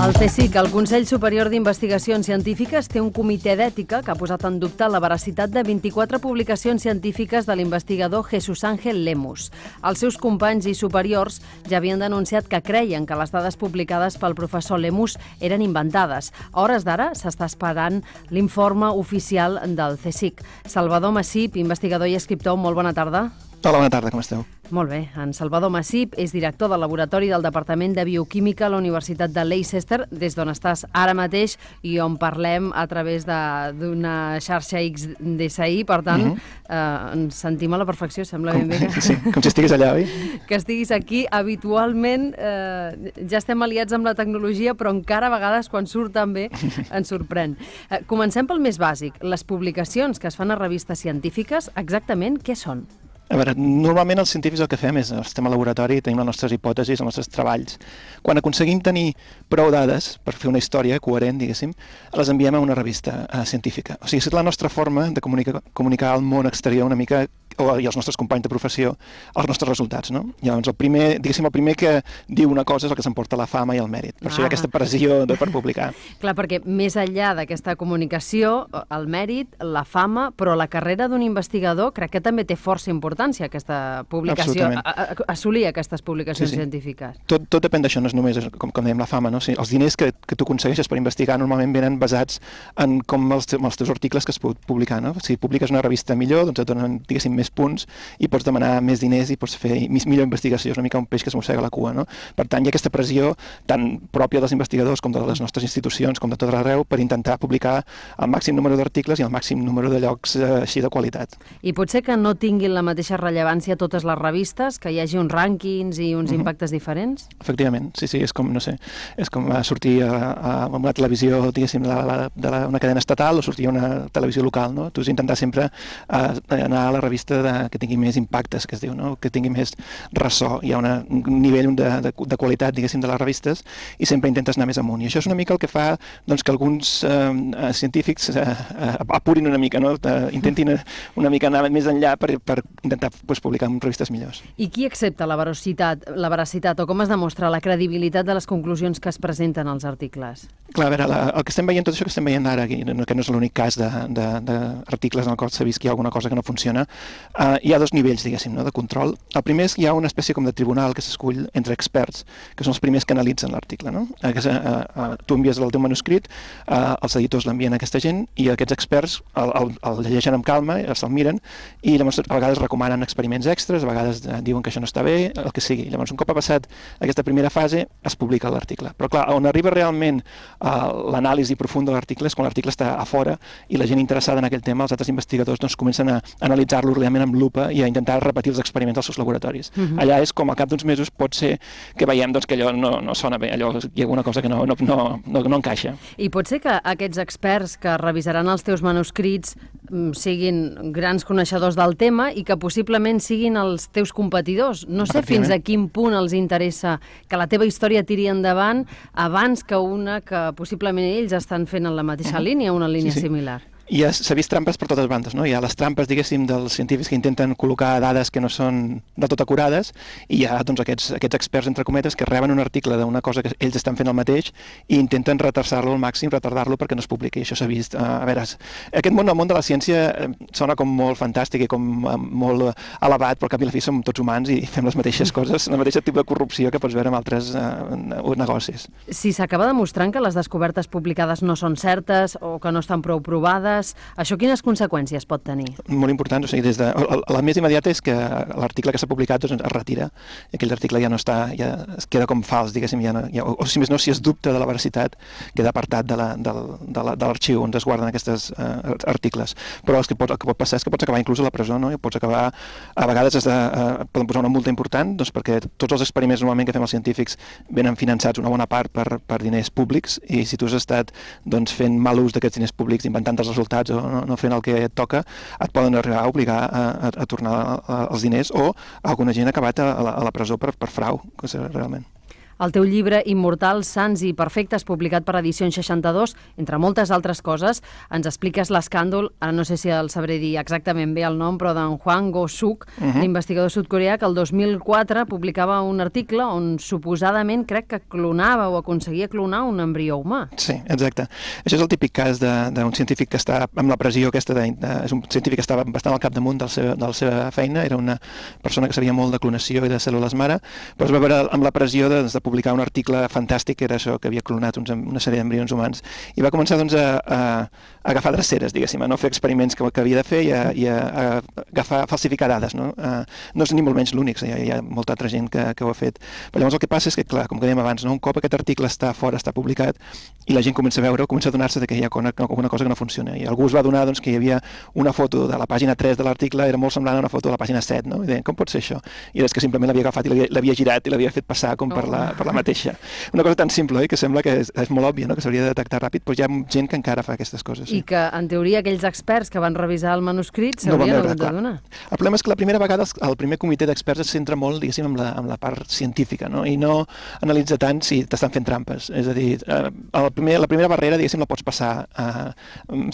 El CSIC, el Consell Superior d'Investigacions Científiques, té un comitè d'ètica que ha posat en dubte la veracitat de 24 publicacions científiques de l'investigador Jesús Ángel Lemus. Els seus companys i superiors ja havien denunciat que creien que les dades publicades pel professor Lemus eren inventades. A hores d'ara s'està esperant l'informe oficial del CSIC. Salvador Massip, investigador i escriptor, molt bona tarda. Hola, bona tarda, com esteu? Molt bé. En Salvador Massip és director del laboratori del Departament de Bioquímica a la Universitat de Leicester, des d'on estàs ara mateix i on parlem a través d'una xarxa XDSI. Per tant, ens sentim a la perfecció, sembla ben bé. Sí, com si estiguis allà, oi? Que estiguis aquí. Habitualment ja estem aliats amb la tecnologia, però encara a vegades, quan surt tan bé, ens sorprèn. Comencem pel més bàsic. Les publicacions que es fan a revistes científiques, exactament què són? A veure, normalment els científics el que fem és, estem al laboratori, tenim les nostres hipòtesis, els nostres treballs. Quan aconseguim tenir prou dades per fer una història coherent, diguéssim, les enviem a una revista científica. O sigui, és la nostra forma de comunicar al món exterior una mica, i als nostres companys de professió, els nostres resultats, no? Llavors, el primer que diu una cosa és el que s'emporta la fama i el mèrit. Per això hi ha aquesta pressió per publicar. Clar, perquè més enllà d'aquesta comunicació, el mèrit, la fama, però la carrera d'un investigador crec que també té força importància, aquesta publicació, assolir aquestes publicacions científiques. Tot depèn d'això, no és només, com dèiem, la fama, no? O sigui, els diners que tu aconsegueixes per investigar normalment venen basats en com els teus articles que es poden publicar, no? Si publiques una revista millor, doncs et donen, diguéssim, més punts i pots demanar més diners i pots fer millor investigació. És una mica un peix que es mossega la cua, no? Per tant, hi ha aquesta pressió tan pròpia dels investigadors com de les nostres institucions, com de tot arreu, per intentar publicar el màxim número d'articles i el màxim número de llocs així de qualitat. I potser que no tinguin la mateixa rellevància totes les revistes, que hi hagi uns rànquings i uns impactes diferents? Efectivament, sí, és com, no sé, és com sortir a una televisió, diguéssim, d'una cadena estatal o sortir a una televisió local, no? Tu has d'intentar sempre anar a la revista que tingui més impactes, que es diu, no? Que tingui més ressò. Hi ha un nivell de qualitat, diguéssim, de les revistes i sempre intentes anar més amunt. I això és una mica el que fa que alguns científics apurin una mica, no? Intentin una mica anar més enllà per intentar publicar en revistes millors. I qui accepta la veracitat o com es demostra la credibilitat de les conclusions que es presenten als articles? Clar, a veure, el que estem veient, tot això que estem veient ara aquí, que no és l'únic cas d'articles en el qual s'ha vist que hi ha alguna cosa que no funciona, hi ha dos nivells, diguéssim, de control. El primer és que hi ha una espècie com de tribunal que s'escull entre experts, que són els primers que analitzen l'article, no? Tu envies el teu manuscrit, els editors l'envien a aquesta gent i aquests experts el llegeixen amb calma, se'l miren i llavors a vegades recomanen experiments extras, a vegades diuen que això no està bé, el que sigui. Llavors, un cop ha passat aquesta primera fase, es publica l'article. Però clar, on arriba realment l'anàlisi profunda de l'article és quan l'article està a fora i la gent interessada en aquell tema, els altres investigadors, comencen a analitzar-lo realment amb lupa i a intentar repetir els experiments als seus laboratoris. Allà és com al cap d'uns mesos pot ser que veiem que allò no sona bé, allò hi ha alguna cosa que no encaixa. I pot ser que aquests experts que revisaran els teus manuscrits siguin grans coneixedors del tema i que possiblement siguin els teus competidors. No sé fins a quin punt els interessa que la teva història tiri endavant abans que una que possiblement ells estan fent en la mateixa línia, una línia similar. I s'ha vist trampes per totes bandes, no? Hi ha les trampes, diguéssim, dels científics que intenten col·locar dades que no són de tot acurades i hi ha aquests experts, entre cometes, que reben un article d'una cosa que ells estan fent el mateix i intenten retardar-lo al màxim, retardar-lo perquè no es publiqui. Això s'ha vist. A veure, aquest món, el món de la ciència, sona com molt fantàstic i com molt elevat, però al cap i a la fi som tots humans i fem les mateixes coses, el mateix tipus de corrupció que pots veure en altres negocis. Si s'acaba demostrant que les descobertes publicades no són certes o que no estan prou provades, això quines conseqüències pot tenir? Molt important, o sigui, la més immediata és que l'article que s'ha publicat es retira, i aquell article ja no està, ja es queda com fals, diguéssim, o si més no, si es dubta de la veracitat, queda apartat de l'arxiu on es guarden aquests articles. Però el que pot passar és que pots acabar inclús a la presó, no? I pots acabar, a vegades poden posar una multa important, perquè tots els experiments normalment que fem els científics venen finançats una bona part per diners públics, i si tu has estat fent mal ús d'aquests diners públics, inventant els resultats o no fent el que et toca, et poden arribar a obligar a tornar els diners, o alguna gent ha acabat a la presó per frau, realment. El teu llibre Immortals, Sants i Perfectes, publicat per Edicions 62, entre moltes altres coses, ens expliques l'escàndol, ara no sé si el sabré dir exactament bé el nom, però d'en Hwang Go-suk, l'investigador sud-coreà, que el 2004 publicava un article on suposadament crec que clonava o aconseguia clonar un embrió humà. Sí, exacte. Això és el típic cas d'un científic que està amb la pressió aquesta, és un científic que estava bastant al capdamunt de la seva feina, era una persona que sabia molt de clonació i de cèl·lules mare, però es va veure amb la pressió de publicar un article fantàstic, que era això, que havia clonat una sèrie d'embrions humans, i va començar doncs, a agafar dreceres, diguéssim, a no fer experiments que havia de fer i a falsificar dades. No és ni molt menys l'únic, hi ha molta altra gent que ho ha fet. Però llavors el que passa és que, clar, com que dèiem abans, un cop aquest article està fora, està publicat, i la gent comença a veure, comença a adonar-se que hi ha alguna cosa que no funciona. I algú es va adonar que hi havia una foto de la pàgina 3 de l'article, era molt semblant a una foto de la pàgina 7, no? I deien, com pot ser això? I és que simplement l'havia agafat i l'havia girat i l'havia fet passar com per la mateixa. Una cosa tan simple, que sembla que és molt òbvia, que s'hauria de detectar ràpid, però hi ha gent que encara fa aquestes coses. I que, en teoria, aquells experts que van revisar el manuscrit s'haurien hagut d'adonar. El problema és que la primera vegada el primer comitè d'experts es centra molt, diguéssim, amb la part científica, i no analitza tant si t'estan fent trampes. És a dir, la primera barrera, diguéssim, la pots passar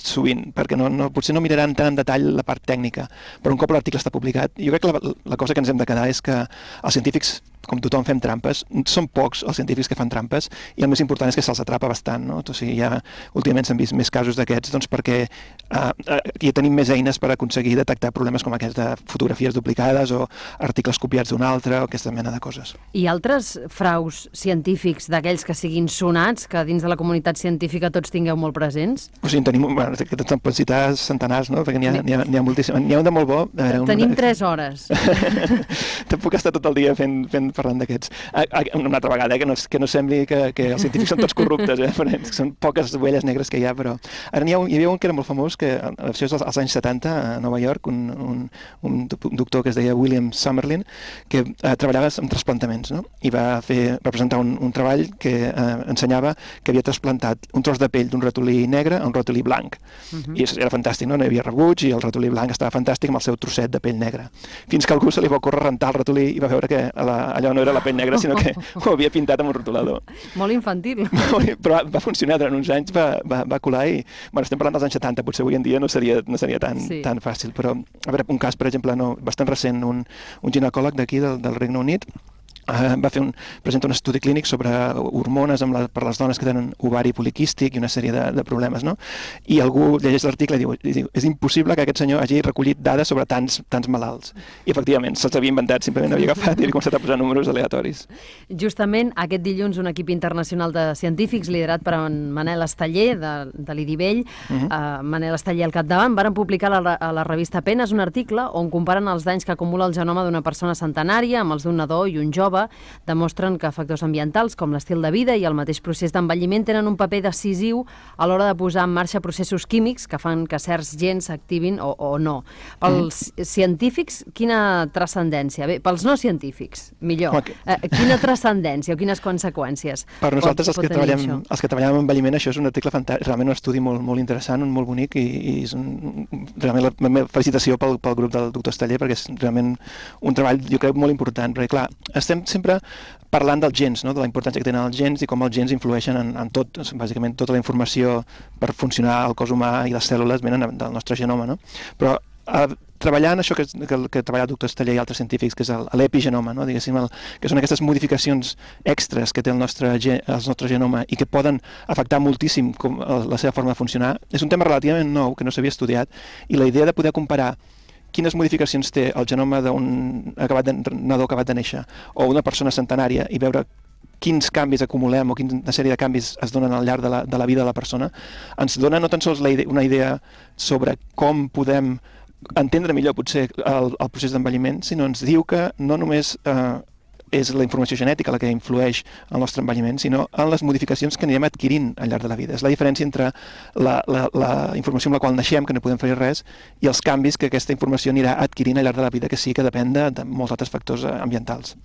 sovint, perquè potser no miraran tant en detall la part tècnica, però un cop l'article està publicat, jo crec que la cosa que ens hem de quedar és que els científics, com tothom, fem trampes. Són pocs els científics que fan trampes i el més important és que se'ls atrapa bastant. O sigui, últimament s'han vist més casos d'aquests perquè ja tenim més eines per aconseguir detectar problemes com aquests de fotografies duplicades o articles copiats d'un altre o aquesta mena de coses. I altres fraus científics d'aquells que siguin sonats, que dins de la comunitat científica tots tingueu molt presents? O sigui, tenim, te'n pots citar centenars, no? Perquè n'hi ha moltíssim. N'hi ha un de molt bo. Tenim 3 hores. Te'n puc estar tot el dia parlant d'aquests. Una altra vegada, que no sembli que els científics són tots corruptes, són poques ovelles negres que hi ha, però ara hi havia un que era molt famós, que això és als anys 70 a Nova York, un doctor que es deia William Summerlin, que treballava amb trasplantaments, i va presentar un treball que ensenyava que havia trasplantat un tros de pell d'un ratolí negre a un ratolí blanc. I això era fantàstic, no hi havia rebuig i el ratolí blanc estava fantàstic amb el seu trosset de pell negra. Fins que algú se li va ocórrer rentar el ratolí i va veure que allò no era la pell negra, sinó que ho havia pintat amb un rotulador. Molt infantil. Però va funcionar durant uns anys, va colar i... estem parlant dels anys 70, potser avui en dia no seria tan fàcil, però a veure, un cas, per exemple, bastant recent, un ginecòleg d'aquí, del Regne Unit, presenta un estudi clínic sobre hormones per les dones que tenen ovari poliquístic i una sèrie de problemes, i algú llegeix l'article i diu és impossible que aquest senyor hagi recollit dades sobre tants malalts. I efectivament, se'ls havia inventat, simplement havia agafat i havia començat a posar números aleatoris. Justament aquest dilluns un equip internacional de científics liderat per en Manel Esteller de l'IDIVELL, Manel Esteller al capdavant, varen publicar a la revista Penes un article on comparen els danys que acumula el genoma d'una persona centenària amb els d'un nadó i un jove. Demostren que factors ambientals com l'estil de vida i el mateix procés d'envelliment tenen un paper decisiu a l'hora de posar en marxa processos químics que fan que certs gens s'activin o no. Pels científics, quina transcendència? Bé, pels no científics, millor. Quina transcendència o quines conseqüències? Per nosaltres, els que treballem amb envelliment, això és un article fantàstic, realment un estudi molt interessant, molt bonic, i és realment la meva felicitació pel grup del doctor Esteller, perquè és realment un treball, jo crec, molt important, perquè clar, estem sempre parlant dels gens, de la importància que tenen els gens i com els gens influeixen en tot, bàsicament tota la informació per funcionar al cos humà i les cèl·lules venen del nostre genoma, però treballant això que treballa el doctor Esteller i altres científics, que és l'epigenoma, diguéssim, que són aquestes modificacions extres que té el nostre genoma i que poden afectar moltíssim la seva forma de funcionar, és un tema relativament nou que no s'havia estudiat, i la idea de poder comparar quines modificacions té el genoma d'un nadó acabat de néixer o una persona centenària i veure quins canvis acumulem o quina sèrie de canvis es donen al llarg de la vida de la persona, ens dona no tan sols una idea sobre com podem entendre millor potser el procés d'envelliment, sinó ens diu que no només és la informació genètica la que influeix en el nostre envelliment, sinó en les modificacions que anirem adquirint al llarg de la vida. És la diferència entre la informació amb la qual naixem, que no podem fer res, i els canvis que aquesta informació anirà adquirint al llarg de la vida, que sí que depèn de molts altres factors ambientals.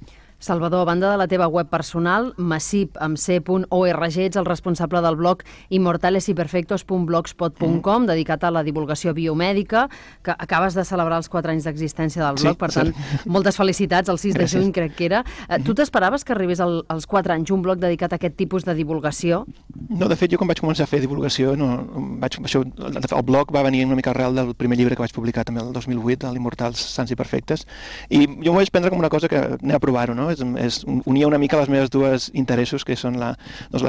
Salvador, a banda de la teva web personal, massip.org, ets el responsable del blog immortalesyperfectos.blogspot.com, dedicat a la divulgació biomèdica, que acabes de celebrar els 4 anys d'existència del blog, per tant, moltes felicitats, el 6 de juny crec que era. Tu t'esperaves que arribés als 4 anys un blog dedicat a aquest tipus de divulgació? No, de fet, jo quan vaig començar a fer divulgació, el blog va venir una mica arrel del primer llibre que vaig publicar també el 2008, l'Immortals Sans i Perfectes, i jo m'ho vaig prendre com una cosa que anem a provar-ho, no? Unia una mica les meves dues interessos, que són la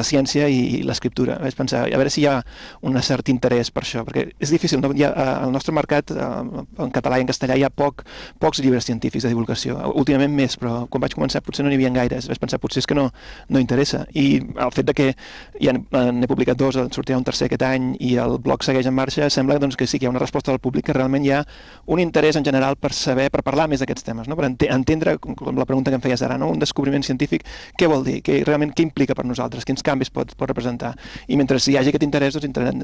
ciència i l'escriptura. Vaig pensar, a veure si hi ha un cert interès per això, perquè és difícil, no? Al nostre mercat, en català i en castellà, hi ha pocs llibres científics de divulgació. Últimament més, però quan vaig començar potser no n'hi havia gaires. Vaig pensar, potser és que no interessa. I el fet de que ja n'he publicat 2, en sortirà un tercer aquest any, i el blog segueix en marxa, sembla doncs, que sí que hi ha una resposta del públic, que realment hi ha un interès en general per saber, per parlar més d'aquests temes, no? Per entendre, com la pregunta que em feies ara, no? Un descobriment científic, què vol dir? Realment què implica per nosaltres? Quins canvis pot representar? I mentre hi hagi aquest interès,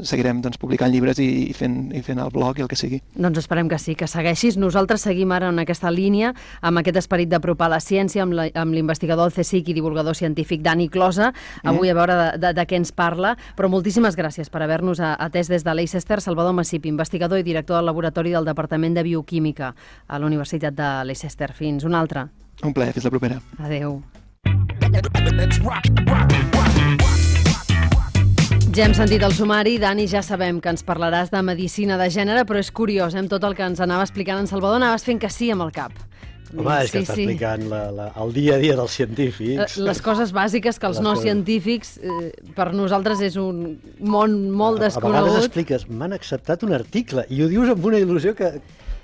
seguirem publicant llibres i fent el blog i el que sigui. Doncs esperem que sí, que segueixis. Nosaltres seguim ara en aquesta línia, amb aquest esperit d'apropar la ciència, amb l'investigador del CSIC i divulgador científic Dani Closa, avui a veure de què ens parla, però moltíssimes gràcies per haver-nos atès des de Leicester. Salvador Massip, investigador i director del laboratori del Departament de Bioquímica a la Universitat de Leicester. Fins una altra. Un plaer, fins la propera. Adéu. Ja hem sentit el sumari. Dani, ja sabem que ens parlaràs de medicina de gènere, però és curiós, tot el que ens anava explicant en Salvador, anaves fent que sí amb el cap. Home, és que està explicant el dia a dia dels científics. Les coses bàsiques que els no científics, per nosaltres és un món molt desconegut. A vegades expliques, m'han acceptat un article, i ho dius amb una il·lusió que...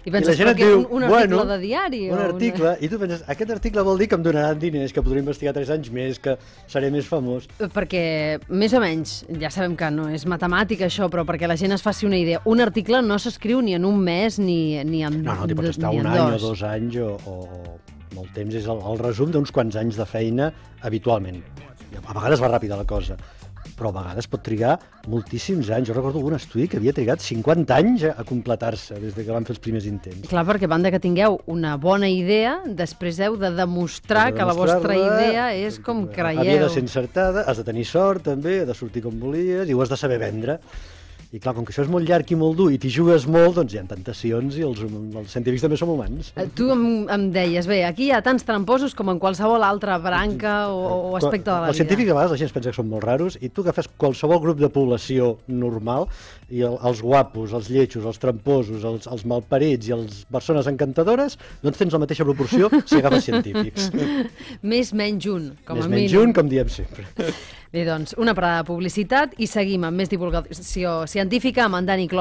I penses, però que un article de diari? Un article, i tu penses, aquest article vol dir que em donaran diners, que podré investigar 3 anys més, que seré més famós. Perquè, més o menys, ja sabem que no és matemàtica això, però perquè la gent es faci una idea, un article no s'escriu ni en un mes ni en 2. No, t'hi pots estar un any o 2 anys o molt temps. És el resum d'uns quants anys de feina habitualment. A vegades va ràpida la cosa, però a vegades pot trigar moltíssims anys. Jo recordo algun estudi que havia trigat 50 anys a completar-se des que van fer els primers intents. Clar, perquè a banda que tingueu una bona idea, després heu de demostrar que la vostra idea és com creieu. Havia de ser encertada, has de tenir sort també, has de sortir com volies i ho has de saber vendre. I clar, com que això és molt llarg i molt dur i t'hi jugues molt, doncs hi ha tentacions i els científics també som humans. Tu em deies, bé, aquí hi ha tants tramposos com en qualsevol altra branca o aspecte de la vida. Els científics a vegades la gent es pensa que són molt raros i tu agafes qualsevol grup de població normal i els guapos, els lletjos, els tramposos, els malparits i les persones encantadores, doncs tens la mateixa proporció si agafes científics. Més menys un, com a mínim. Més menys un, com diem sempre. Bé, doncs, una parada de publicitat i seguim amb més divulgació científica amb en Dani Closa.